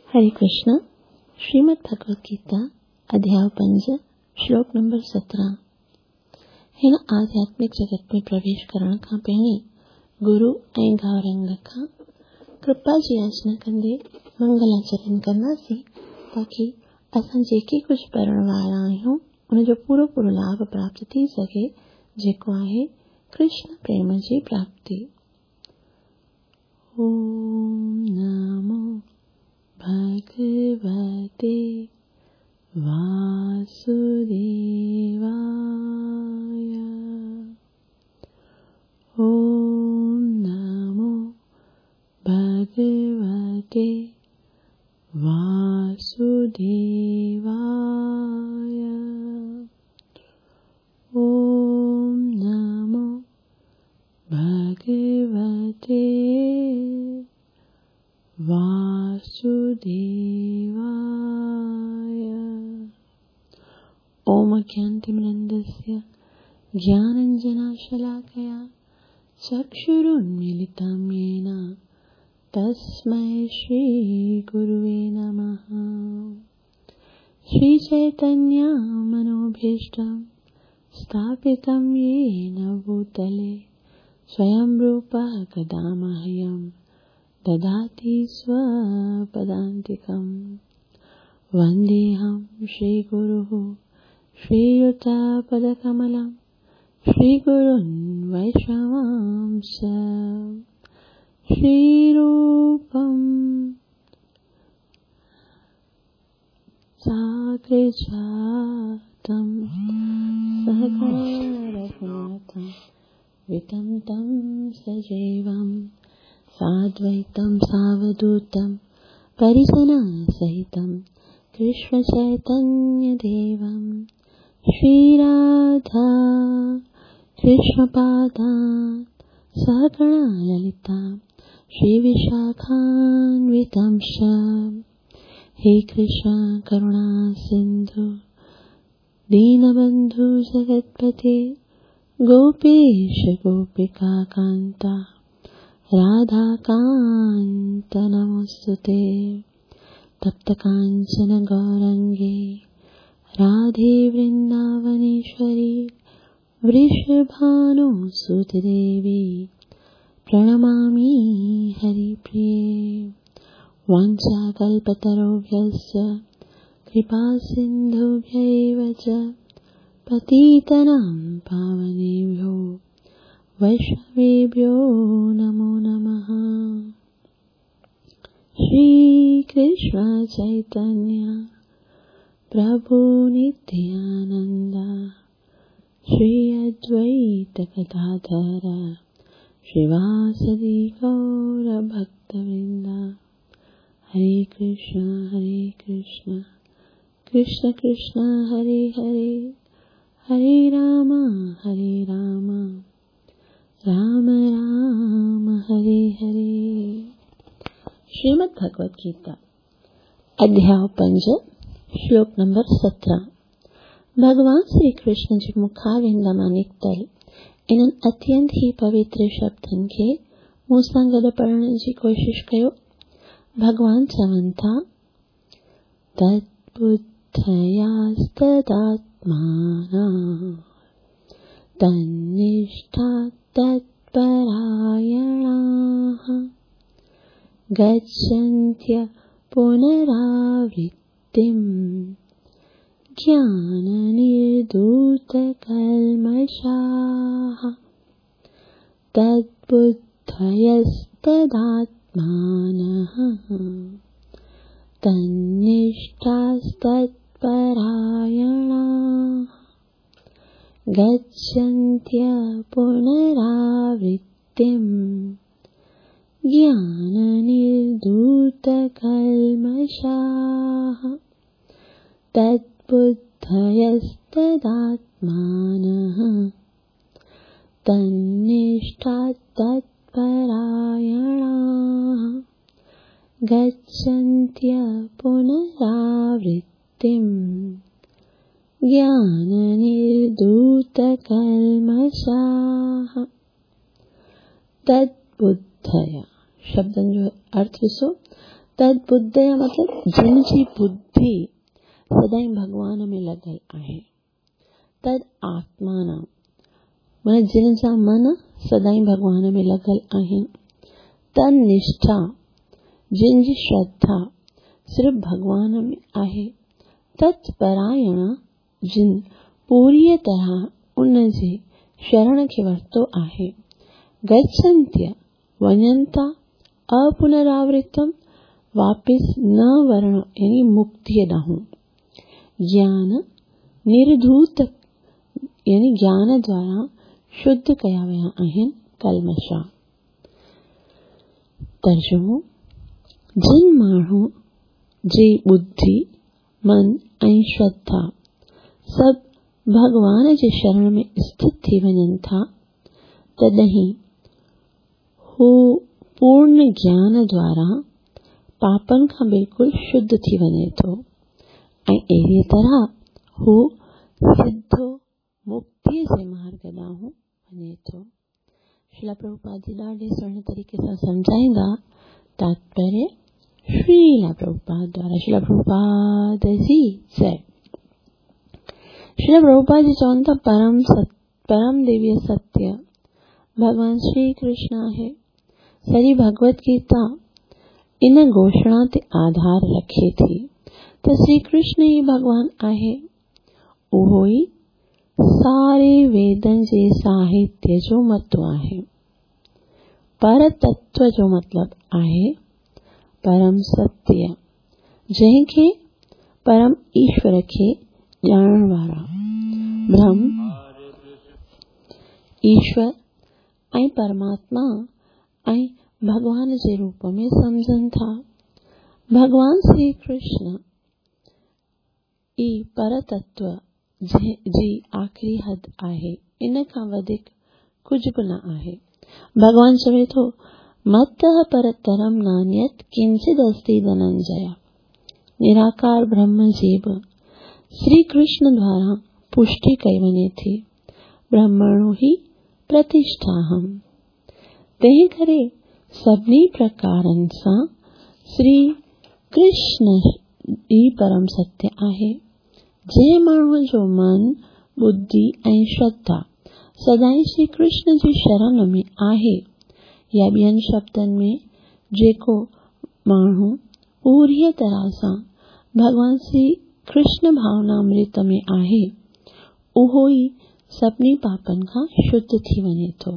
हरे कृष्ण। श्रीमद् भगवत गीता अध्याय 5 श्लोक नंबर 17। हिन आध्यात्मिक जगत में प्रवेश करण खां पहिरीं गुरु ऐं गौरंग खां कृपा जी याचना कंदे मंगलाचरण कंदासीं ताकी असां जेके कुझु पढ़ण वारा आहियूं उनजो पूरो पूरो लाभ प्राप्त थी सघे, जेको आहे कृष्ण प्रेम जी प्राप्ति। ओम नमो भगवते वासुदेवाय। ओम नमो भगवते वासुदेवाय। ओम नमो भगवते वासुदेवाय। ओम अज्ञानतिमिरन्दस्य ज्ञानाञ्जनशलाकया चक्षुरुन्मीलितं येन तस्मै श्रीगुरुवे नमः। श्रीचैतन्यमनोभीष्टं स्थापितं येन भूतले स्वयं रूपः कदा मह्यं ददाति स्वपदान्तिकं। वन्देऽहं श्रीगुरुः श्रीयुतपदकमलं श्रीगुरुन् वैष्णवांश्च। श्रीरूपं साग्रजातं सहगणरघुनाथं वितं तं सजीवं साद्वैतं सावधूतं परिजनसहितं कृष्णचैतन्यदेवं। श्रीराधा कृष्णपादान् सहगणललिता श्रीविशाखान्वितं च। हे कृष्ण करुणा सिन्धु दीनबन्धु जगत्पते गोपेश गोपिका कान्ता राधाकान्त नमोऽस्तुते। तप्तकाञ्चन गौरङ्गे राधे वृन्दावनेश्वरी वृषभानुसुते देवी प्रणमामि हरिप्रिये। वाञ्छाकल्पतरुभ्यश्च कृपासिन्धुभ्यैव च पतितानां पावनेभ्यो वैष्णवेभ्यो नमो नमः। श्री कृष्ण चैतन्य प्रभु नित्यानंद श्री अद्वैत गदाधर श्रीवासदि गौर भक्तवृंद। हरे कृष्ण कृष्ण कृष्ण हरे हरे, हरे राम राम राम हरे हरे। श्रीमद् भगवत गीता अध्याय 5 श्लोक नंबर 17। भगवान श्री कृष्ण जी मुखारविंद मां निकितल इन्हनि अत्यंत ही पवित्र शब्दनि खे मूं सां गॾु पढ़ण जी कोशिश कयो। भगवान चवनि था, तद्बुद्धयास्तदात्मानः तन्निष्ठा तत्परायणाः गच्छन्त्य पुनरावृत्तिं ज्ञाननिर्धूतकल्मषाः। तद्बुद्धयस्तदात्मानः तन्निष्ठास्तत्परायणाः गच्छन्त्य पुनरावृत्तिं ज्ञाननिर्धूतकल्मषाः। तद्बुद्धयस्तदात्मानः तन्निष्ठा तत्परायणाः गच्छन्त्य पुनरावृत्तिं ज्ञाननिर्धूतकल्मषाः। तद्बुद्धय शब्दनि जो अर्थ ॾिसो, तद बुद्धया मतिलबु जिन जी बुद्धि सदाईं भॻवान में लॻल आहे। तद आत्माना माना जिन जा मन सदाईं भॻवान में लॻल आहिनि। तन निष्ठा जिन जी श्रद्धा सिर्फ़ भॻवान में आहे। तत्परायण जिन पूरीअ तरह उन जे शरण खे वरितो आहे। गच्छन्त्य वञनि था अपुनरावृतम वापसि न वरणु यानी मुक्तीअ ॾांहुं। ज्ञान निर्धूत यानी ज्ञान द्वारा शुद्ध कया विया आहिनि कल्मषा। तर्जुमो जिन माण्हू जी बुद्धि, मन ऐं श्रद्धा सभु भॻवान जे शरण में स्थित थी वञनि था, तॾहिं हू पूर्ण ज्ञान द्वारा पापनि खां बिल्कुलु शुद्ध थी वञे थो ऐं अहिड़ीअ तरह हू सिधो मुक्तीअ जे मार्ग ॾांहुं वञे थो। श्रील प्रभुपाद जी ॾाढे सुहिणे तरीक़े सां सम्झाईंदा। तात्पर्य श्रील प्रभुपाद द्वारा। श्रील प्रभुपाद जी जय। श्रील प्रभुपाद जी चवनि था परम दिव्य सत्य भॻवान श्री कृष्ण आहे। सॼी भगवत गीता इन घोषणा ते आधार रखे थी त श्री कृष्ण ई भॻवान आहे। उहो ई सारे वेदनि जे साहित्य जो मतो आहे। पर तत्व जो मतिलबु आहे परम सत्य, जंहिंखे परम ईश्वर खे ॼाणण वारा ब्रह्म, ईश्वर ऐं परमात्मा ऐं भॻवान जे रूप में सम्झनि था। भॻवान श्री कृष्ण ई पर तत्व जी आख़िरी हद आहे, इन खां वधीक कुझु बि न आहे। भॻवान चवे थो, मत्तः परतरं नान्यत् किंचिद अस्ति धनंजय। निराकार ब्रह्म जी बि श्री कृष्ण द्वारा पुष्टि कई वञे थी, ब्रह्मणो ही प्रतिष्ठाहम्। तंहिं करे सभिनी प्रकारनि सां श्री कृष्ण ई परम सत्य आहे। जंहिं माण्हूअ जो मन, बुद्धि ऐं श्रद्धा सदाईं श्री कृष्ण जी शरण में आहे, या ॿियनि शब्दनि में जेको माण्हू पूरीअ तरह सां भॻवान श्री कृष्ण भावनामृत में आहे, उहो ई सभिनी पापनि खां शुद्ध थी वञे थो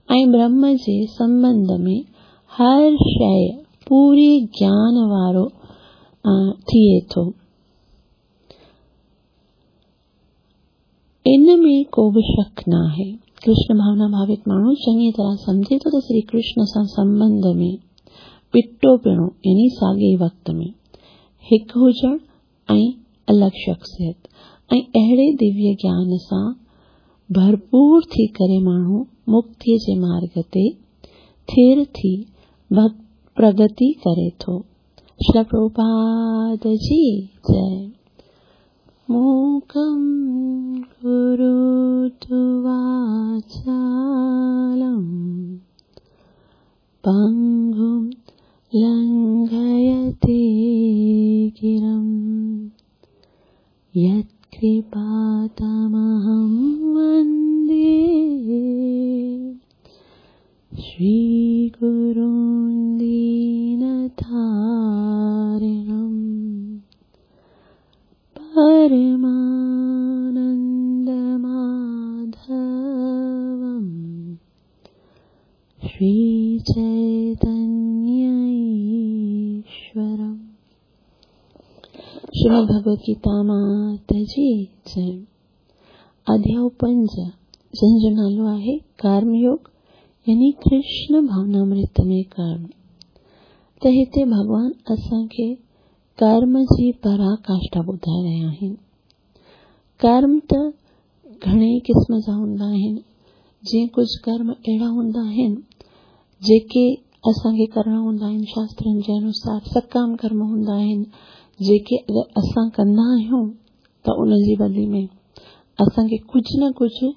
ऐं ब्रह्म जे संबंध में हर शइ पूरी ज्ञान वारो थिए थो। इन में को बि शक न आहे। कृष्ण भावना भावित माण्हू चङी तरह सम्झे थो त श्री कृष्ण सां संबंध में ॿिटो पिणो यानी साॻे वक़्त में हिकु हुजणु ऐं अलॻि शख़्सियत ऐं अहिड़े दिव्य ज्ञान सां भरपूर थी करे माण्हू मुक्तीअ जे मार्ग ते थिर थी प्रगति करे थो। श्रील प्रभुपाद जी जय। मूकं करोतु वाचालं पङ्गुं लङ्घयते गिरं यत्कृपातमहं वन्दे श्रीगुरुं दीनतारिणं परमानन्दमाधवं श्रीचैतन्यईश्वरम्। श्रीमद् भगवद गीता माता जी जय। अध्याय 5 जंहिंजो नालो आहे कर्मयोग यानी कृष्ण भावनामृत में कर्म। त हिते भॻवान असांखे कर्म जी पराकाष्ठा ॿुधाए रहिया आहिनि। कर्म त घणेई क़िस्म जा हूंदा आहिनि, जीअं कुझु कर्म अहिड़ा हूंदा आहिनि जेके असांखे करणा हूंदा आहिनि शास्त्रनि जे अनुसार, सकाम कर्म हूंदा आहिनि जेके अगरि असां कंदा आहियूं त उनजी बदिले में असांखे कुझु न कुझु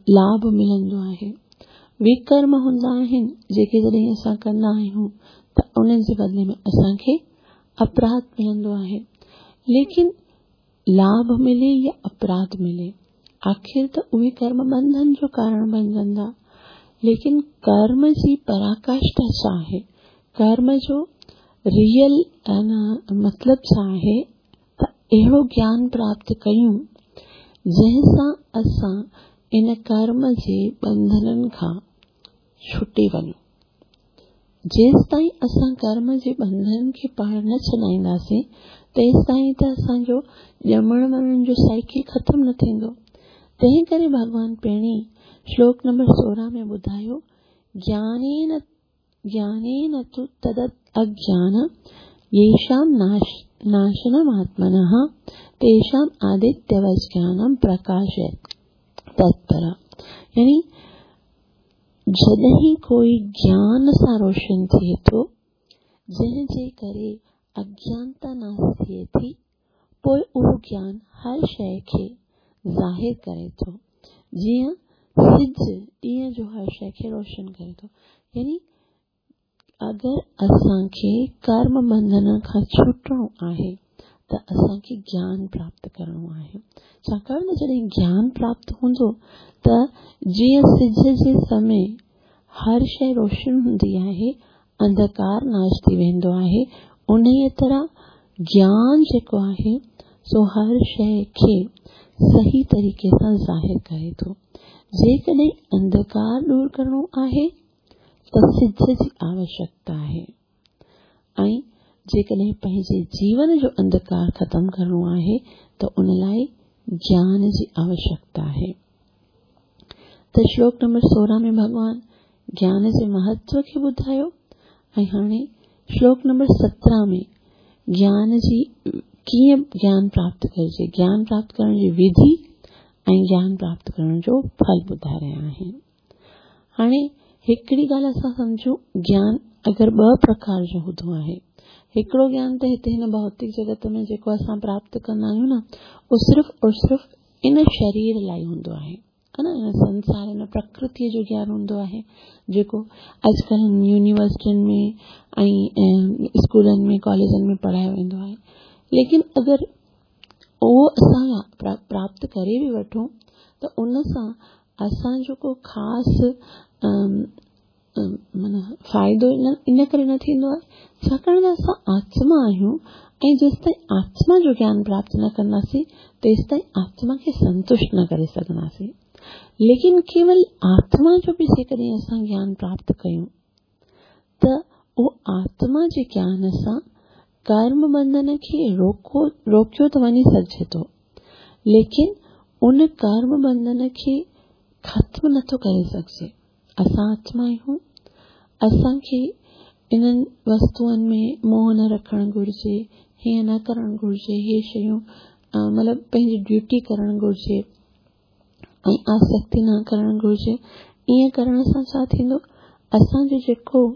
लाभ मिलंदो आहे। विकर्म हूंदा आहिनि जेके जॾहिं असां कंदा आहियूं त त उन जे बदिले में असांखे अपराध मिलंदो आहे। लेकिन लाभ मिले या अपराध मिले, आख़िर त उहे कर्म बंधन जो कारण बणजंदा। लेकिन कर्म जी पराकाष्ठा छा आहे, कर्म जो रियल मतिलबु छा आहे त अहिड़ो ज्ञान प्राप्त कयूं जंहिंसां असां इन कर्म जे बंधननि खां छुटे वञूं। जेसि ताईं असां कर्म जे बंधननि खे पाण न छॾाईंदासीं तेसि ताईं त असांजो ॼमण मरण जो साइकिल ख़तमु न थींदो। तंहिं करे भॻवान पहिरीं श्लोक नंबर 16 में ॿुधायो, ज्ञानेन ज्ञानेन तु तद अज्ञान येषां नाशनमात्मनः तेषां आदित्यवत् ज्ञानं प्रकाशयत् तत्पर। यानी जॾहिं कोई ज्ञान सां रोशन थिए थो, जंहिंजे करे अज्ञानता नाश थिए थी, पोइ उहो ज्ञान हर शइ खे ज़ाहिर करे थो, जीअं सिज ॾींहं जो हर शइ खे रोशन करे थो। यानी अगरि असांखे कर्म बंधन खां छुटणो आहे त असांखे ज्ञान प्राप्त करिणो आहे। छाकाणि त जॾहिं ज्ञान प्राप्त हूंदो त जीअं सिज जे समय हर शइ रोशन हूंदी आहे, अंधकार नाश थी वेंदो आहे, उन तरह ज्ञान जेको आहे सो हर शइ खे सही तरीक़े सां ज़ाहिर करे थो। जेकॾहिं अंधकार दूर करिणो आहे त सिज जी आवश्यकता आहे, ऐं जेकॾहिं पंहिंजे जीवन जो अंधकार ख़तमु करिणो आहे त उन लाइ ज्ञान जी आवश्यकता आहे। त श्लोक नंबर 16 में भॻवान ज्ञान जे महत्व खे ॿुधायो ऐं हाणे श्लोक नंबर 17 में ज्ञान जी कीअं ज्ञान प्राप्त करिजे, ज्ञान प्राप्त करण जी विधि ऐं ज्ञान प्राप्त करण जो फल ॿुधाए रहिया आहिनि। हाणे हिकिड़ी ॻाल्हि असां सम्झूं, ज्ञान अगरि ॿ प्रकार जो हूंदो आहे। हिकिड़ो ज्ञान त हिते हिन भौतिक जगत में जेको असां प्राप्त कंदा आहियूं न, उहो सिर्फ़ु और सिर्फ़ु इन शरीर लाइ हूंदो आहे, हा न, इन संसार इन प्रकृतीअ जो ज्ञान हूंदो आहे जेको अॼुकल्ह यूनिवर्सिटियुनि में ऐं स्कूलनि में कॉलेजनि में पढ़ायो वेंदो आहे। लेकिन अगरि उहो असां प्राप्त करे बि वठूं त उन सां असांजो को ख़ासि माना फ़ाइदो इन करे न थींदो आहे, छाकाणि त असां आत्मा आहियूं ऐं जेसि ताईं आत्मा जो ज्ञान प्राप्त न कंदासीं तेसि ताईं आत्मा खे संतुष्ट न करे सघंदासीं। लेकिन केवल आत्मा जो बि जेकॾहिं असां ज्ञान प्राप्त कयूं त उहो आत्मा जे ज्ञान सां कर्म बंधन खे रोकियो त वञी सघिजे थो, लेकिन उन कर्म बंधन खे ख़तमु नथो करे सघिजे। असां आत्मा आहियूं, असांखे इन्हनि वस्तुअनि में मोह न रखणु घुरिजे, हीअं न करणु घुरिजे, हे शयूं मतिलबु पंहिंजी ड्यूटी करणु घुरिजे ऐं आसक्ति न करणु घुरिजे। ईअं करण सां छा थींदो, असांजो जेको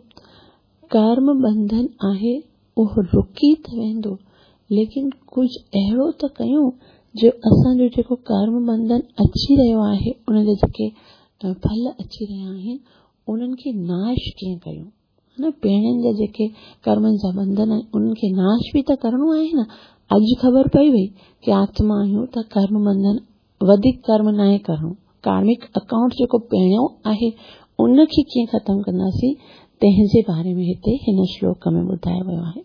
कर्म बंधन आहे उहो रुकी त वेंदो, लेकिन कुझु अहिड़ो त कयूं जो असांजो जेको कर्म बंधन अची रहियो आहे, उनजा जेके फल अची रहिया आहिनि उन्हनि खे नाश कीअं कयूं, न, पहिरियनि जा जेके कर्मनि जा बंधन आहिनि उन्हनि खे नाश बि त करिणो आहे न। अॼु ख़बर पई वई की आत्मा आहियूं त कर्म बंधन वधीक कर्म नाहे करिणो, कार्मिक अकाउंट जेको पहिरियों आहे उनखे कीअं ख़तमु कंदासीं तंहिंजे बारे में हिते हिन श्लोक में ॿुधायो वियो आहे।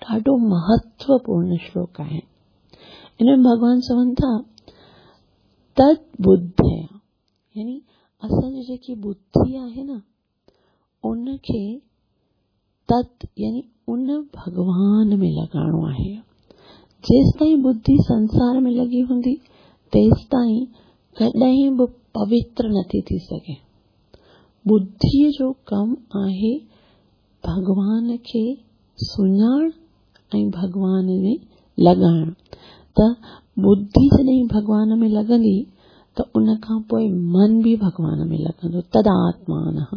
ॾाढो महत्वपूर्ण श्लोक आहे। इन में भॻवान चवनि था तद बुद्धया, यानी असांजी जेकी बुद्धि आहे न उनखे तत् यानी उन भॻवान में लॻाइणो आहे। जेसि ताईं बुद्धि संसार में लॻी हूंदी तेसि ताईं कॾहिं बि पवित्र नथी थी सघे। बुद्धिअ जो कमु आहे भॻवान खे सुञाण ऐं भॻवान में लॻाइणु। त बुद्धि जॾहिं भॻवान में लॻंदी त उन खां पोइ मन बि भॻवान में लॻंदो, तदात्मानः,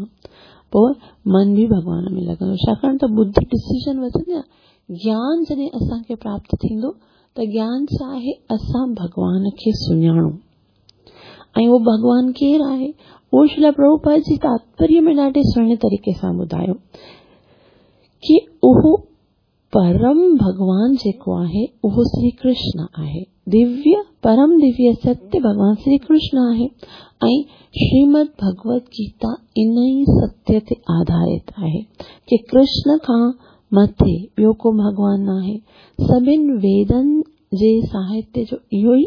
पोइ मन बि भॻवान में लॻंदो। छाकाणि त बुद्धि डिसीजन वठंदी आहे। ज्ञान जॾहिं असांखे प्राप्त थींदो त ज्ञान छा आहे, असां भॻवान खे सुञाणूं। ऐं उहो भॻवान केरु आहे, उहो श्रील प्रभुपाद जी तात्पर्य में ॾाढे सुहिणे तरीक़े सां ॿुधायो ڪي اهو پرم ڀڳوان جيڪو آهي اهو شري ڪرشن آهي. دويه، پرم دويه ستيه ڀڳوان شري ڪرشن آهي ۽ شريمد ڀڳوت گيتا ان ئي ستيه تي آڌارت آهي ڪي ڪرشن کان مٿي ٻيو ڪو ڀڳوان ناهي. سڀن ويدن جي ساهتيه جو اهو ئي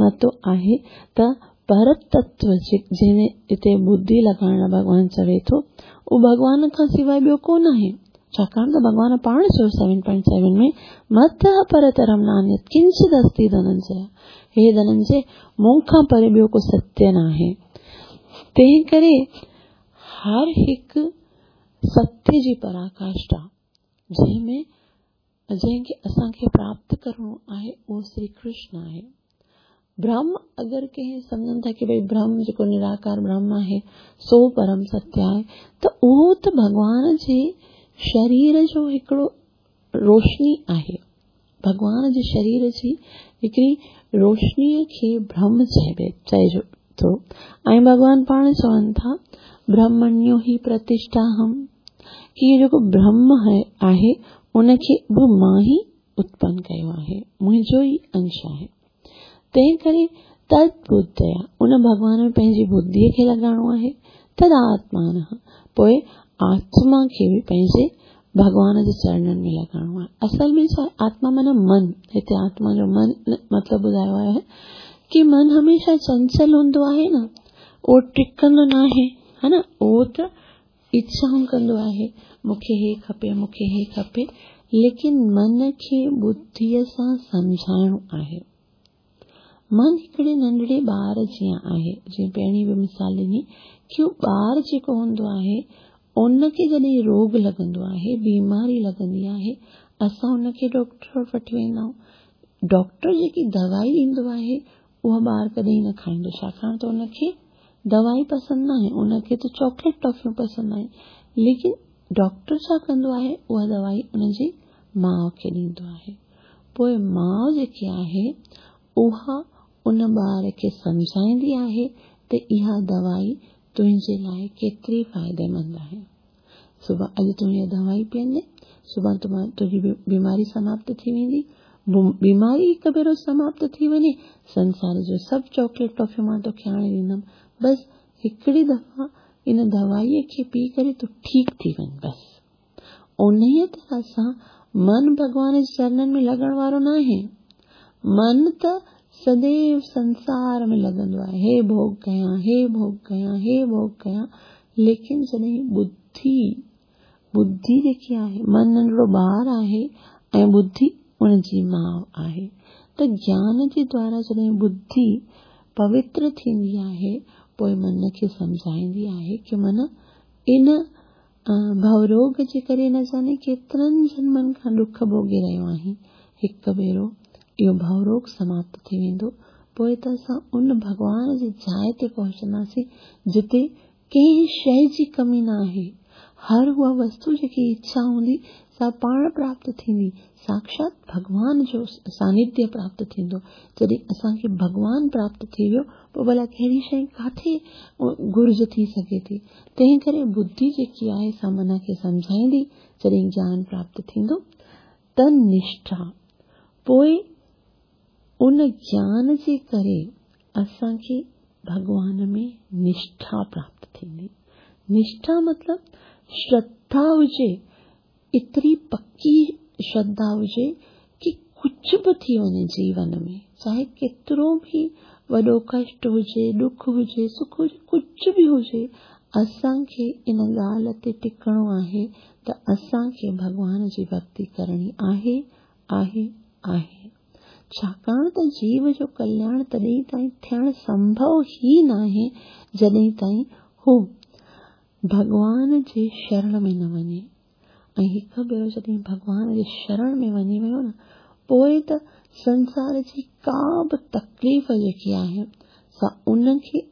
متو آهي ته پرتتو جنهن هتي ٻڌي لڳائڻ لاء ڀڳوان چوي ٿو اهو ڀڳوان کان سواء ٻيو ڪو ناهي. ڇاڪاڻ ته ڀڳوان پاڻ چيو 7.7 ۾ متः پرترم نانيت ڪنچت استي ڌننجي هي ڌننجي مون کان پري ٻيو ڪو ستيه ناهي. تنهن ڪري هر هڪ ستيه جي پراڪاشٽا جنهن ۾ جنهن کي اسان کي پراپت ڪرڻو آهي اهو شري ڪرشن آهي. برهم اگر ڪنهن سمجهن ٿا ڪي ڀئي برهم جيڪو نراڪار برهم آهي سو پرم ستيه آهي ته اهو ته ڀڳوان جي شرير جو هڪڙو روشني آهي. ڀڳوان جي شرير جي هڪڙي روشنيء کي برهم چئبي چئجو ٿو ۽ ڀڳوان پاڻ چون ٿا برهمڻيو هي پرتشٺاهم ڪي هي جيڪو برهم آهي ان کي به مان ئي اتپن ڪيو آهي منهنجو ئي انش آهي تنهن ڪري تد ٻڌيا ان ڀڳوان ۾ پنهنجي ٻڌيء کي لڳائڻو آهي تد آتمان پوء آتما کي به پنهنجي ڀڳوان جي چرڻن ۾ لڳائڻو آهي. اصل ۾ ڇا آتما معنيٰ من، هتي آتما جو من مطلب ٻڌايو آهي ڪي من هميشه چنچل هوندو آهي نه، اهو ٽڪندو ناهي، ها نه، اهو ته اڇائون ڪندو آهي، مون کي هي کپي، مون کي هي کپي، ليڪن من کي ٻڌيء سان سمجهائڻو آهي. من هڪڙي ننڍڙي ٻار جيان آهي، جيئن پهرين به مثال ڏني ڪي هو ٻار جيڪو هوندو آهي ان کي جڏهن روڳ لڳندو آهي، بيماري لڳندي آهي، اسان ان کي ڊاڪٽر وٽ وٺي ويندا آهيون. ڊاڪٽر جيڪي دوائي ڏيندو آهي اها ٻار ڪڏهن نه کائيندو ڇاڪاڻ ته ان کي دوائي پسند ناهي، ان کي ته چاڪليٽ ٽافيون پسند آهن. ليڪن ڊاڪٽر ڇا ڪندو آهي اها دوائي ان جي ماء کي ڏيندو آهي. پوء ماء جيڪي آهي اها ان ٻار کي سمجهائيندي آهي ته اها دوائي تنهنجي لاء ڪيتري فائديمند آهي. صبح اڄ تون اها دوائي پيئندين، سڀان تنهنجي بيماري سماپت ٿي ويندي. بيماري هڪ ڀيرو سماپت ٿي وڃي، سنسار جو سڀ چاڪليٽ ٽافيون مان توکي آڻي ڏيندم. بس هڪڙي دفعا ان دوائيء کي پي ڪري تون ٺيڪ ٿي وڃ بس. انهيء طرح سان من ڀڳوان جي چرنن ۾ لڳڻ وارو ناهي. من ته سديو سنسار ۾ لڳندو آهي، هي ڀوڳ ڪيان، هي ڀوڳ ڪيان، هي ڀوڳ ڪيان، ليڪن جڏهن ٻڌي، ٻڌي جيڪي آهي، من ننڍڙو ٻار آهي ۽ ٻڌي ان جي ماء آهي ته گيان جي دوارا جڏهن ٻڌي پوتر ٿيندي آهي، پوء من کي سمجهائيندي آهي ڪي من ان ڀوروڳ جي ڪري نه جاني ڪيترن جنمن کان ڏک ڀوڳي رهيو آهين. هڪ ڀيرو اهو ڀوروڳ سماپت ٿي ويندو، پوء ته اسان ان ڀڳوان جي جاء تي پهچنداسين، جتي ڪنهن شيء جي ڪمي نه آهي. هر اها وستو جيڪي اڇا هوندي، سا پاڻ پراپت ٿيندي. ساکشات ڀڳوان جو سانيڌيه پراپت ٿيندو. جڏهن اسان کي ڀڳوان پراپت ٿي ويو، پوء ڀلا ڪهڙي شيء ڪاٿي گهرج ٿي سگهي ٿي؟ تنهن ڪري ٻڌي جيڪي آهي سا من کي سمجهائيندي، جڏهن گيان پراپت ٿيندو ته نشٺا، پوء ان گيان جي ڪري اسان کي ڀڳوان ۾ نشٺا پراپت ٿيندي. نشٺا مطلب شرڌا هجي، ايتري پڪي شرڌا هجي ڪي ڪجهه به ٿي وڃي جيون ۾ چاهي ڪيترو به وڏو ڪشٽ هجي، ڏک هجي، سک هجي، ڪجهه به هجي اسان کي ان ڳالهه تي ٽڪڻو آهي ته اسان کي ڀڳوان جي ڀڳتي ڪرڻي آهي، آهي، آهي. ڇاڪاڻ ته جيو جو ڪلياڻ تڏهن تائين ٿيڻ سنڀو ئي ناهي جڏهن تائين هو ڀڳوان جي شرڻ ۾ نه وڃي ۽ هڪ ڀيرو جڏهن ڀڳوان جي شرڻ ۾ وڃي ويو نه پوء ته سنسار جي ڪا به تڪليف جيڪي آهي سا ان کي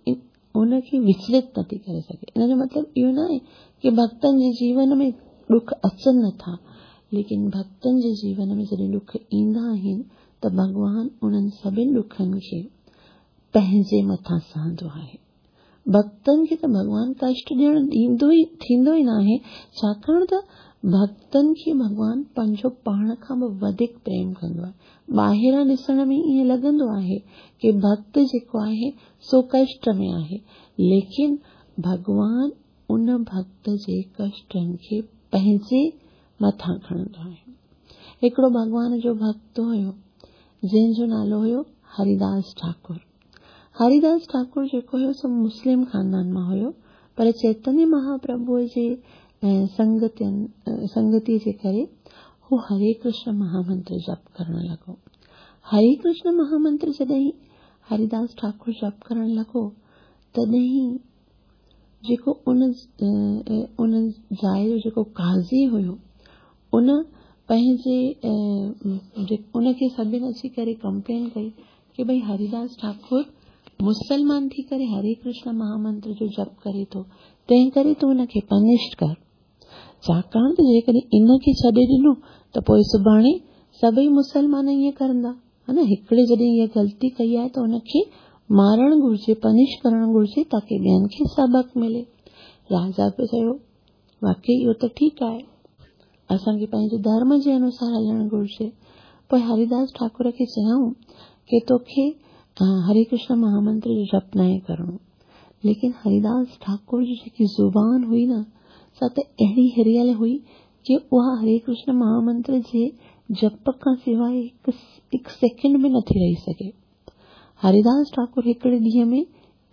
ان کي وچلت نٿي ڪري سگهي. ان جو مطلب اهو نه آهي ڪي ڀڳتن جي جيون ۾ ڏک اچن نٿا، ليڪن ڀڳتن جي جيون ۾ جڏهن ڏک ايندا آهن ته ڀڳوان انهن سڀن ڏکن کي پنهنجي مٿان سهندو آهي. ڀڳتن کي ته ڀڳوان ڪشٽ ڏيڻ ڏيندو ئي ٿيندو ئي ناهي، ڇاڪاڻ ته ڀڳتن کي ڀڳوان پنهنجو پاڻ کان به وڌيڪ پريم ڪندو آهي. ٻاهران ڏسڻ ۾ ائين لڳندو آهي ڪي ڀڳت جيڪو آهي سو ڪشٽ ۾ آهي، ليڪن ڀڳوان ان ڀڳت جي ڪشٽن کي پنهنجي مٿان کڻندو آهي. هڪڙو ڀڳوان جو ڀڳت هيو، جنهن جو نالو هيو هريداس ٺاڪر. هريداس ٺاڪر جيڪو هيو سو مسلم خاندان مان هيو، پر چيتنيه مهاپرڀوء جي سنگتين سنگتيء جي ڪري هو هري ڪرشن مهامنتر جپ ڪرڻ لڳو. هري ڪرشن مهامنتر جڏهن هريداس ٺاڪر جپ ڪرڻ لڳو، تڏهن جيڪو ان ان جاء جو جيڪو قاضي هيو، ان پنهنجي ان کي سڀن اچي ڪري ڪمپلين ڪئي ڪي ڀئي هريداس ٺاڪر مسلمان ٿي ڪري هري ڪرشن مهامنتر جو جپ ڪري ٿو، تنهن ڪري تون ان کي پنش ڪر. ڇاڪاڻ ته جيڪڏهن ان کي ڇڏي ڏنو ته پوء سڀاڻي سڀئي مسلمان ائين ڪرندا. ها نه، هڪڙي جڏهن اها غلطي ڪئي آهي ته ان کي مارڻ گهرجي، پنش ڪرڻ گهرجي تاڪي ٻين کي سبق ملي. راجا به چيو، واقعي اهو ته ٺيڪ آهي. اسان کي پنهنجي ڌرم جي انوسار هلڻ گهرجي. پوء هريداس ٺاڪر کي چيائون ڪي توکي هري ڪرشن مهامنتر جو جپ ناهي ڪرڻو. ليڪن هريداس ٺاڪر جي جيڪي زبان هئي نه سا ته اهڙي هريل هئي ڪي اها هري ڪرشن مهامنتر جي جپ کان سواء هڪ سيڪنڊ به نٿي رهي سگهي. هريداس ٺاڪر هڪڙي ڏينهن ۾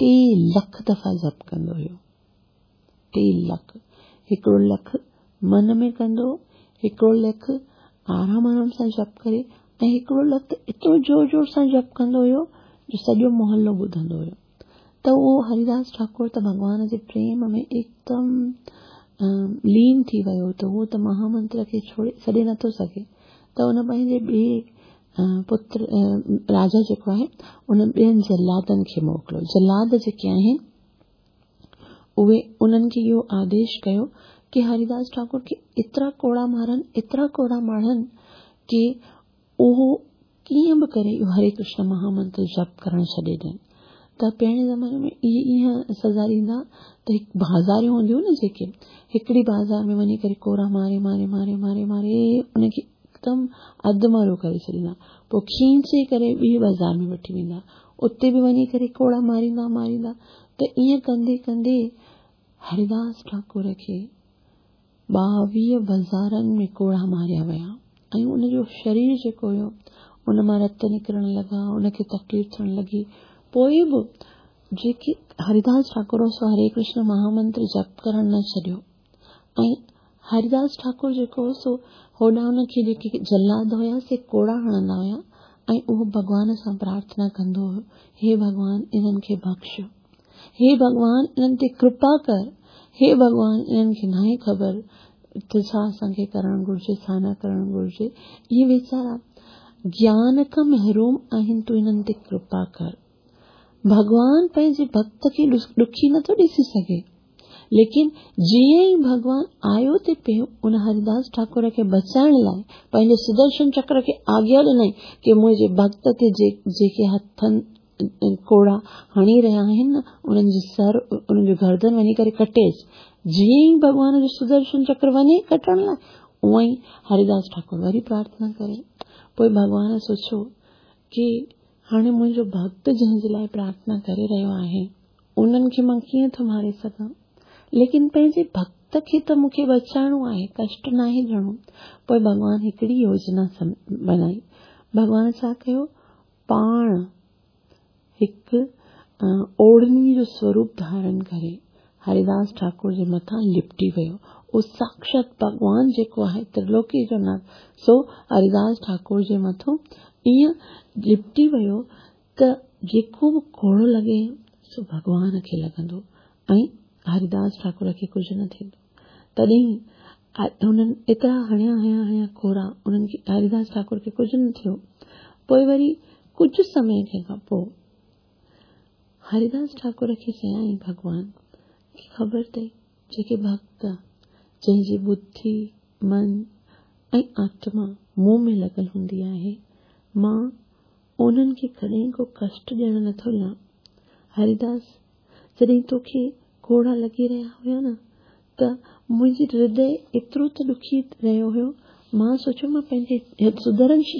3 لک دفعا جپ ڪندو هيو. 3 لک. هڪڙو لک من ۾ ڪندو هو، هڪڙو لک آرام آرام سان جپ ڪري ۽ هڪڙو لک ته ايترو زور زور سان جپ ڪندو هيو جو سڄو محلو ٻڌندو هيو. ته اهو هريداس ٺاڪر ته ڀڳوان جي پريم ۾ هڪدم لين ٿي ويو ته اهو ته مهامنتر کي ڇوڙي ڇڏي نٿو سگهي ته ان پنهنجي ٻئي پتر راجا جيڪو آهي ان ٻين جلادن کي موڪليو. جلاد جيڪي آهن اهي انهن کي اهو آديش ڪيو ڪي هريداس ٺاڪر کي ايترا ڪوڙا مارن، ايترا ڪوڙا مارن ڪي اهو ڪيئن به ڪري اهو هري ڪرشن مهامنتر جپ ڪرڻ ڇڏي ڏين. ته پهرين زماني ۾ اهي ايئن سزا ڏيندا ته هڪ بازاريون هونديون نه جيڪي هڪڙي بازار ۾ وڃي ڪري ڪورا ماري ماري ماري ماري ماري ان کي هڪدم اڌ مرو ڪري ڇڏيندا. پوء کينچي ڪري ٻي بازار ۾ وٺي ويندا. اتي به وڃي ڪري ڪوڙا ماريندا ماريندا ته ائين ڪندي ڪندي هريداس ٺاڪر کي 22 بازارن ۾ ڪوڙا ماريا ويا ۽ ان جو شرير جيڪو هيو ان مان رت نڪرڻ لڳا، ان کي تڪليف ٿيڻ لڳي. پوء به جيڪي هريداس ٺاڪر هو سو هري ڪرشن مهامنتر جپ ڪرڻ نه ڇڏيو ۽ هريداس ٺاڪر جيڪو هو سو هوڏانهن ان کي جيڪي جلاد هيا سي ڪوڙا هڻندا هيا ۽ اهو ڀڳوان سان پرارٿنا ڪندو هيو، هي ڀڳوان انهن کي بخش، هي ڀڳوان انهن تي ڪرپا ڪر، هي ڀڳوان انهن کي ناهي خبر ته ڇا اسان کي ڪرڻ گهرجي ڇا نه ڪرڻ گهرجي، اهي ويچارا گيان کان محروم آهن تون انهن تي ڪرپا ڪر. ڀڳوان پنهنجي ڀڳت کي ڏکي نٿو ڏسي سگهي. ليڪن جيئن ئي ڀڳوان آيو تي پيو ان هريداس ٺاڪر کي بچائڻ لاء پنهنجي سدرشن چڪر کي آگيا ڏنائين ڪي منهنجي ڀڳت تي جيڪي هٿن ڪوڙا هڻي رهيا آهن نه انهن جي سر انهن جو گردن وڃي ڪري ڪٽي اچ. جيئن ئي ڀڳوان جو سدرشن چڪر وڃي ڪٽڻ لاء اونئن ئي هريداس ٺاڪر وري پرارٿنا ڪري. پوء ڀڳوان سوچيو ڪي هاڻي منهنجو ڀڳت جنهن جي لاء پرارٿنا ڪري رهيو آهي انهن کي مان ڪيئن ٿو ماري سگهان؟ ليڪن پنهنجي ڀڳت کي ته مون کي بچائڻو آهي، ڪشٽ ناهي ڏيڻو. پوء ڀڳوان هڪڙي يوجنا بنائي. ڀڳوان ڇا ڪيو؟ پاڻ هڪ اوڙهڻي جو سوروپ ڌارڻ ڪري هريداس ٺاڪر جي مٿان لپٽي ويو. اهو ساڪشات ڀڳوان جيڪو آهي ترلوڪي جو ناٿ، سو هريداس ٺاڪر جي مٿو ائين لپٽي ويو ته جيڪو به ڪوڙو لڳي سو ڀڳوان کي لڳندو ۽ هريداس ٺاڪر کي ڪجهه نه ٿيندو. تڏهن هنن ايترا هڻيا هڻيا هڻيا ڪوڙا انهن کي هريداس ٺاڪر کي ڪجهه نه ٿيو. پوء وري ڪجهه سمي کان پوء هريداس ٺاڪر کي چيائين ڀڳوان کي خبر اٿئي جيڪي ڀڳت جنهن جي ٻڌي، من ۽ آتما مون ۾ لڳل هوندي آهي، مان انهن کي ڪڏهن ڪو ڪشٽ ڏيڻ نٿو ڏيان. هريداس، جڏهن توکي ڪوڙا لڳي رهيا هيا نه ته منهنجي هردي ايترو ته ڏکي رهيو هيو، مان سوچيو مان پنهنجي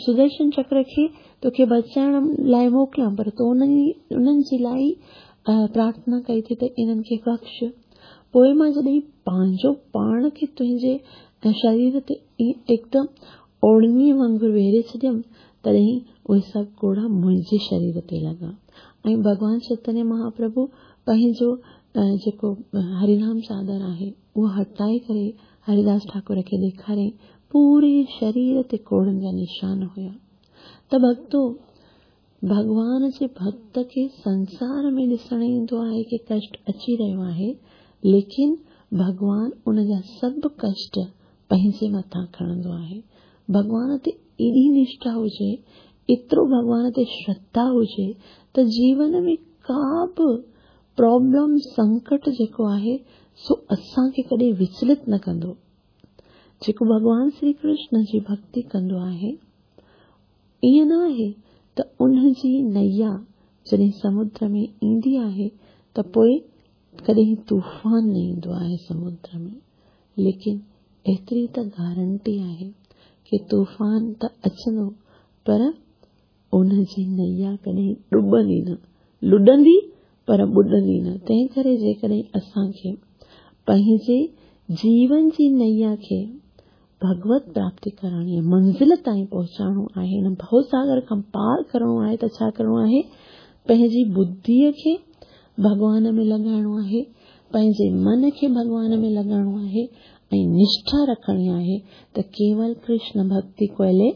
سدرشن چڪر کي توکي بچائڻ لاء موڪليان پر تو انهن جي لاء ئي پرارٿنا ڪئي ٿي ته انهن کي بخش. پوء مان جڏهن پنهنجو پاڻ کي تنهنجي شرير تي هڪدم اوڙهڻيء وانگر ويڙهي ڇڏيم، تڏهن اهي سڀ ڪوڙا منهنجي شرير تي لڳا ۽ ڀڳوان چيتنيه مهاپرڀو پنهنجو جيڪو هرينام چادر آهي، اهو هٽائي ڪري هريداس ٺاڪر کي ڏيکاريائين، پوري شرير تي ڪوڙن جا نشان هيا. ته ڀڳتو! ڀڳوان جي ڀڳت کي سنسار ۾ ڏسڻ ايندو آهي ڪي ڪشٽ اچي رهيو آهي، ليڪن ڀڳوان ان جا سڀ ڪشٽ پنهنجي مٿان کڻندو آهي. ڀڳوان تي ايڏي نشٺا هجي، ايترو ڀڳوان تي شرڌا هجي ته جيون ۾ ڪا به پرابلم، سنڪٽ جيڪو آهي سو اسان کي ڪڏهن وچلت نه ڪندو. جيڪو ڀڳوان شري ڪرشن جي ڀڳتي ڪندو آهي، ائين نه آهي ته ان جي نيا جڏهن سمنڊ ۾ ايندي آهي ته پوء ڪڏهن طوفان نه ايندو آهي سمنڊ ۾، ليڪن ايتري ته گارنٽي آهي ڪي طوفان ته اچندو پر ان جي نيا ڪڏهن ڏٻندي نه، لڏندي پر ٻڏندي نه، تنهن ڪري جيڪڏهن اسان کي پنهنجي جيون جي نيا کي ڀڳوت پراپتي ڪرڻي آهي، منزل تائين پهچائڻو آهي، هن ڀؤ ساگر کان پار ڪرڻو آهي ته ڇا ڪرڻو آهي؟ پنهنجي ٻڌيء کي ڀڳوان ۾ لڳائڻو آهي، پنهنجي من کي ڀڳوان ۾ لڳائڻو آهي ۽ نشٺا رکڻي آهي ته ڪيول ڪرشن ڀڳتي ڪوئلي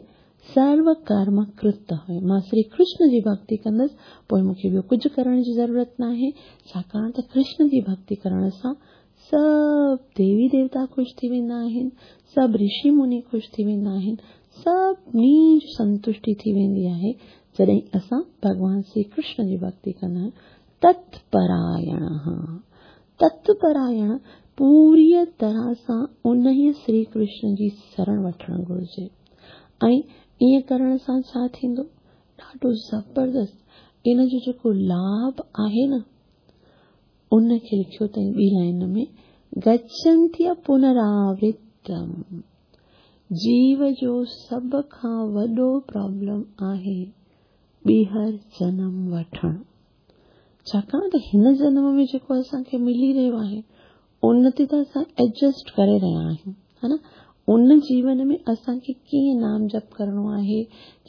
سرو ڪرم ڪرت هوئي. مان شري ڪرشن جي ڀڳتي ڪندس، پوء مون کي ٻيو ڪجهه ڪرڻ جي ضرورت ناهي، ڇاڪاڻ ته ڪرشن جي ڀڳتي ڪرڻ سان سڀ ديوي ديوتا خوش ٿي ويندا آهن، سڀ رشي مني خوش ٿي ويندا آهن، سڀني جي سنتشٽي ٿي ويندي آهي جڏهن اسان ڀڳوان شري ڪرشن جي ڀڳتي ڪندا آهيون. تتپرائڻ، تتپرائڻ پوريء طرح سان انهيء شري ڪرشن جي شرڻ وٺڻ گهرجي ۽ ائين ڪرڻ سان ڇا ٿيندو؟ ڏاڍو زبردست ان جو جيڪو لاڀ آهي نه، ان کي لکيو اٿائين ٻي لائن ۾ گڇنتي پنراورتم جيو جو سڀ کان وڏو پرابلم آهي ٻيهر جنم وٺڻ ڇاڪاڻ ته هن جنم ۾ جيڪو اسان کي ملي رهيو آهي ان تي ته اسان ايڊجسٽ ڪري رهيا آهيون ها نه ان جيون ۾ اسان کي ڪيئن نام جپ ڪرڻو آهي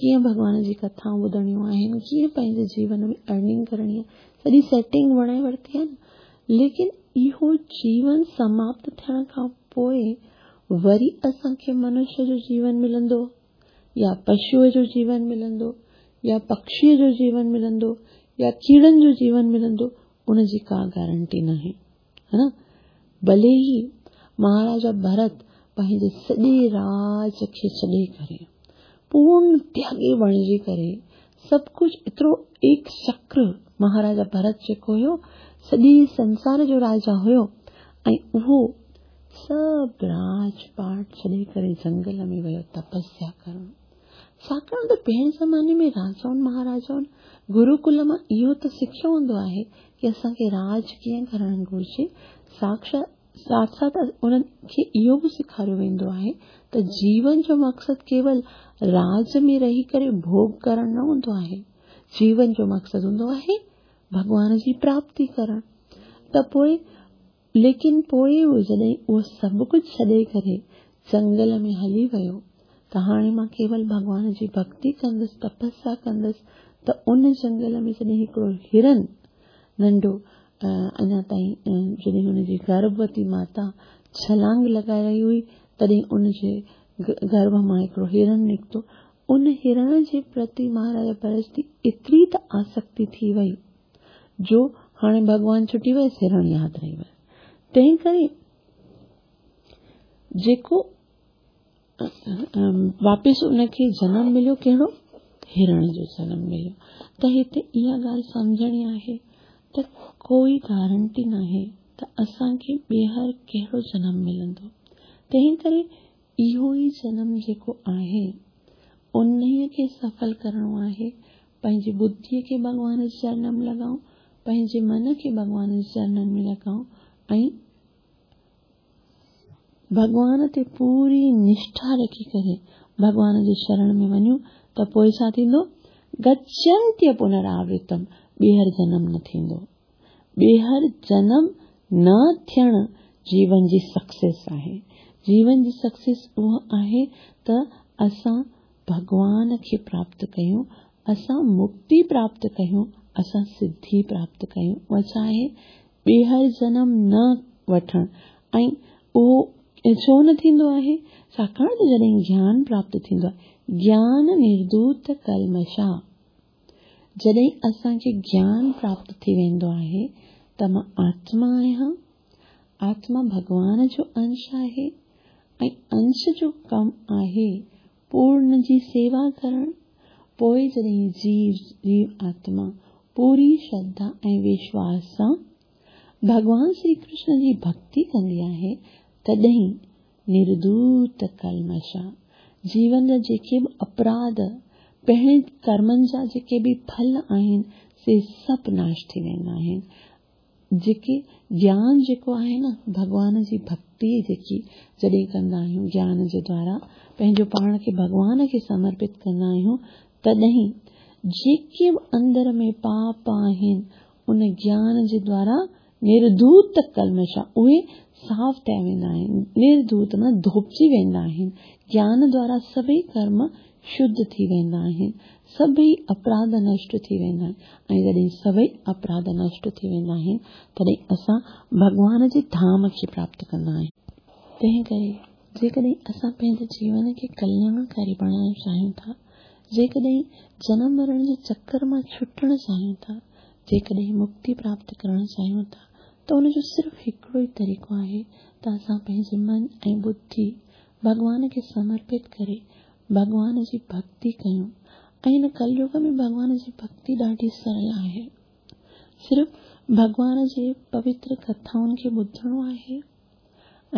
ڪيئن ڀڳوان جي ڪٿائون ٻڌڻيون آهن ڪيئن پنهنجي جيون ۾ ارننگ ڪرڻي آهي سڄي سيٽنگ بڻائي ورتي آهي نه ليڪن اهو جيون سماپت ٿيڻ کان پوء وري اسان کي منشيه جو جيون ملندو يا پشوء جو جيون ملندو يا پکشيء جو جيون ملندو يا ڪيڙن جو جيون ملندو ان جي ڪا گارنٽي ناهي ها نه ڀلي ئي مهاراجا ڀرت پنهنجي سڄي راج کي ڇڏي ڪري پورن تياڳي بڻجي ڪري سڀ ڪجهه ايترو ايڪ چڪر مهاراجا ڀرت جيڪو هيو سڄي سنسار جو راجا هيو ۽ اهو سڀ راج پاٽ ڇڏي ڪري جنگل ۾ ويو تپسيا ڪرڻ ڇاڪاڻ ته پهرين زماني ۾ راجائن مهاراجائن گروڪل مان اهو ته سکيو هوندو آهي ڪي اسان کي راڄ ڪيئن ڪرڻ گهرجي ساڪشات ساٿ ساٿ انهن کي اهو به سيکاريو ويندو آهي ته جيون جو مقصد ڪيول راڄ ۾ رهي ڪري ڀوڳ ڪرڻ نه هوندو آهي جيون جو مقصد هوندو آهي ڀڳوان جي پراپتي ڪرڻ ته پوء ليڪن پوء هو جڏهن اهو سڀ ڪجهه ڇڏي ڪري جنگل ۾ هلي ويو ته هاڻي مان ڪيول ڀڳوان جي ڀڳتي ڪندس، تپسيا ڪندس ته ان جنگل ۾ جڏهن هڪڙو هرن ننڍو اڃا تائين جڏهن هن جي گرڀوتي ماتا ڇلانگ لڳائي رهي هئي تڏهن ان جي گرڀ مان هڪڙو هرن نڪتو. ان هرڻ جي پرتي مهاراجا ڀرت جي ايتري ته آسڪتي ٿي وئي جو هاڻي ڀڳوان ڇٽي ويس هرڻ ياد رهي ويس. تنهن ڪري جيڪو واپس ان کي جنم مليو ڪهڙو؟ هرڻ جو جنم مليو. ته هتي اها ڳالهه سمجهڻي آهي ته ڪوئي گارنٽي ناهي ته اسان کي ٻيهر ڪهڙو جنم ملندو. تنهن ڪري اهو ئي جنم جيڪو آهي انهيء کي سڦل ڪرڻو آهي. پنهنجي ٻڌيء کي ڀڳوان جي چرنن ۾ لڳائون، پنهنجي من کي ڀڳوان جي چرنن ۾ لڳائون ۽ ڀڳوان تي پوري نشٺا رکي ڪري ڀڳوان جي شرڻ ۾ وڃون ته پوء ڇا ٿيندو؟ گڇنتي پنراورتم، ٻيهر جنم نه ٿيندو. ٻيهر جنم نه ٿيڻ جيون جي سڪسيس آهي. جيون جي سڪسيس اها آهي ته اسان ڀڳوان کي پراپت ڪيون، اسان مڪتي پراپت ڪيون، اسان سڌي پراپت ڪيون. اها ڇا آهي؟ ٻيهر جنم نه وٺڻ. ۽ اهو ڇو نه ٿيندو آهي؟ ڇاڪاڻ ته جڏهن گيان پراپت ٿيندو آهي، گيان نردوت ڪلمشا، جڏهن اسان کي گيان پراپت ٿي ويندو آهي ته مان آتما آهيان، آتما ڀڳوان جو انش آهي ۽ انش جو ڪم آهي پورن جي سيوا ڪرڻ، پوء جڏهن جيو، جيو آتما، پوري شرڌا ۽ وشواس سان ڀڳوان شري ڪرشن جي ڀڳتي ڪندي آهي، تڏهن نردوت ڪلمشا، جيون جا جيڪي به اپراڌ، پهرين ڪرمن جا جيڪي به ڦل آهن، سي سڀ ناش ٿي ويندا آهن. جيڪي گيان جيڪو آهي نه، ڀڳوان جي ڀڳتي جيڪي جڏهن ڪندا آهيون، گيان جي دوارا پنهنجو پاڻ کي ڀڳوان کي سمرپت ڪندا آهيون، تڏهن جيڪي به اندر ۾ پاپ آهن، ان گيان جي دوارا نردوت ڪلمشا، اهي صاف ٿي ويندا آهن، نردوت معنيٰ ڌوپجي ويندا آهن. گيان دوارا سڀئي ڪرم شڌ ٿي ويندا آهن، سڀئي اپراڌ نشٽ ٿي ويندا آهن ۽ جڏهن سڀئي اپراڌ نشٽ ٿي ويندا آهن، تڏهن اسان ڀڳوان جي ڌام کي پراپت ڪندا آهيون. تنهن ڪري جيڪڏهن اسان پنهنجي جيون کي ڪلياڻڪاري بڻائڻ چاهيون ٿا، جيڪڏهن جنم مرڻ جي چڪر مان ڇٽڻ چاهيون ٿا، جيڪڏهن مڪتي پراپت ڪرڻ چاهيون ٿا ته ان جو صرف هڪڙو ئي طريقو آهي ته اسان پنهنجي من ۽ ٻڌي ڀڳوان کي سمرپت ڪري ڀڳوان جي ڀڳتي ڪيون ۽ هن ڪليوگ ۾ ڀڳوان جي ڀڳتي ڏاڍي سرل آهي. صرف ڀڳوان جي پوتر ڪٿائن کي ٻڌڻو آهي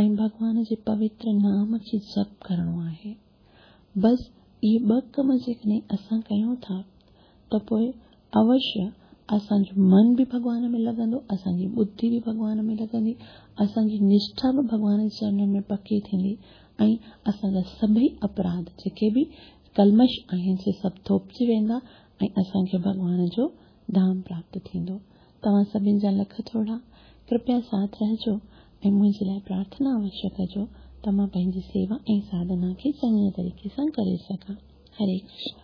۽ ڀڳوان جي پوتر نام کي جپ ڪرڻو آهي. بس اهي ٻه ڪم جيڪڏهن اسان ڪيون ٿا ته پوء اوشيه اسان جو من به ڀڳوان ۾ لڳندو، اسان جي ٻڌي به ڀڳوان ۾ لڳندي، اسان جي نشٺا به ڀڳوان جي چرنن ۾ پڪي ٿيندي ۽ اسان جا سڀئي اپراڌ جيڪي به ڪلمش آهن سي سڀ ڌوپجي ويندا ۽ اسان کي ڀڳوان جو ڌام پراپت ٿيندو. توهان سڀن جا لک ٿورا. ڪرپيا ساٿ رهجو ۽ منهنجي لاء پرارٿنا اوشيه ڪجو ته مان پنهنجي سيوا ۽ ساڌنا کي چڱي طريقي سان ڪري سگهان. هري ڪرشنا.